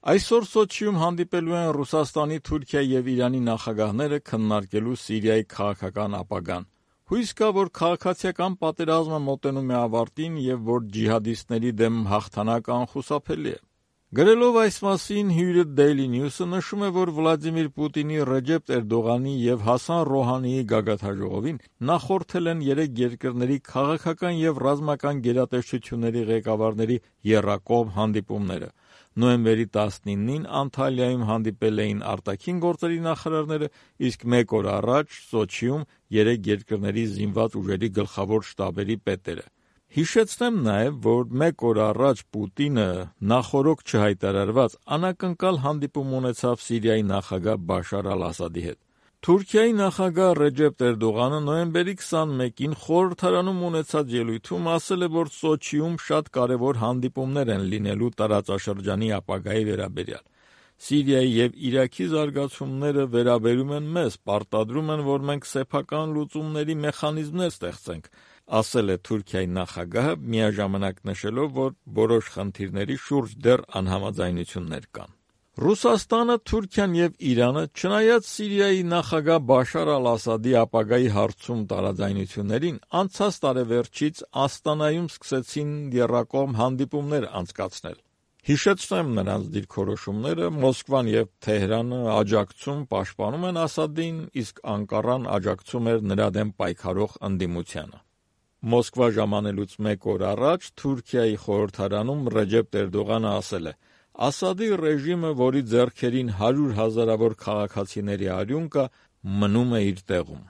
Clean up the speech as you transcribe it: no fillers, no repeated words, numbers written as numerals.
Այսօր Սոչիում հանդիպելու են Ռուսաստանի, Թուրքիայի և Իրանի նախագահները քննարկելու Սիրիայի քաղաքական ապագան։ Հույս կա, որ քաղաքացիական պատերազմը մոտենում է ավարտին և որ ջիհադիստների դեմ հաղթանակը անխուսափելի է։ Գրելով այս մասին հյուրը Daily News-ը նշում է, որ Վլադիմիր Պուտինի, Ռեջեփ Էրդողանի և Հասան Ռոհանիի գագաթնաժողովին նախորդել են 3 երկրների քաղաքական և ռազմական գերատեսչությունների ղեկավարների եռակողմ հանդիպումները։ Նոյեմբերի 19-ին Անտալիայում հանդիպել էին արտաքին գործերի նախարարները, իսկ 1 օր առաջ Սոչիում 3 երկրների զինված ուժերի գլխավոր շտաբերի պետերը։ Հիշեցնեմ նաև, որ 1 օր առաջ Պուտինը նախօրոք չհայտարարված անակնկալ հանդիպում ունեցավ Սիրիայի նախագահ Բաշար Ալ-Ասադի հետ։ Թուրքիայի նախագահ Ռեջեփ Էրդողանը նոյեմբերի 21-ին խորհրդարանում ունեցած ելույթում ասել է, որ Սոչիում շատ կարևոր հանդիպումներ են լինելու տարածաշրջանի ապագայի վերաբերյալ։ Սիրիայի և Իրաքի զարգացումները վերաբերում են մեզ, պարտադրում են, որ մենք սեփական լուծումների մեխանիզմներ ստեղծենք, ասել է Թուրքիայի նախագահը, միաժամանակ նշելով, որ որոշ խնդիրների շուրջ դեռ անհամաձայնություններ կան։ Ռուսաստանը, Թուրքիան և Իրանը, չնայած Սիրիայի նախագահ Բաշար Ալ-Ասադի ապագայի հարցում տարաձայնություններին, անցած տարեվերջից Աստանայում սկսեցին եռակողմ հանդիպումներ անցկացնել։ Հիշեցնեմ նրանց դիրքորոշումները՝ Մոսկվան և Թեհրանը աջակցում, պաշտպանում են Ասադին, իսկ Անկարան աջակցում էր նրա դեմ պայքարող ընդդիմությանը։ Մոսկվա ժամանելուց 1 օր առաջ Թուրքիայի խորհրդարանում Ռեջեփ Էրդողանը ասել է. «Ասադի ռեժիմը, որի ձեռքերին 100 հազարավոր քաղաքացիների արյուն կա, մնում է իր տեղում»։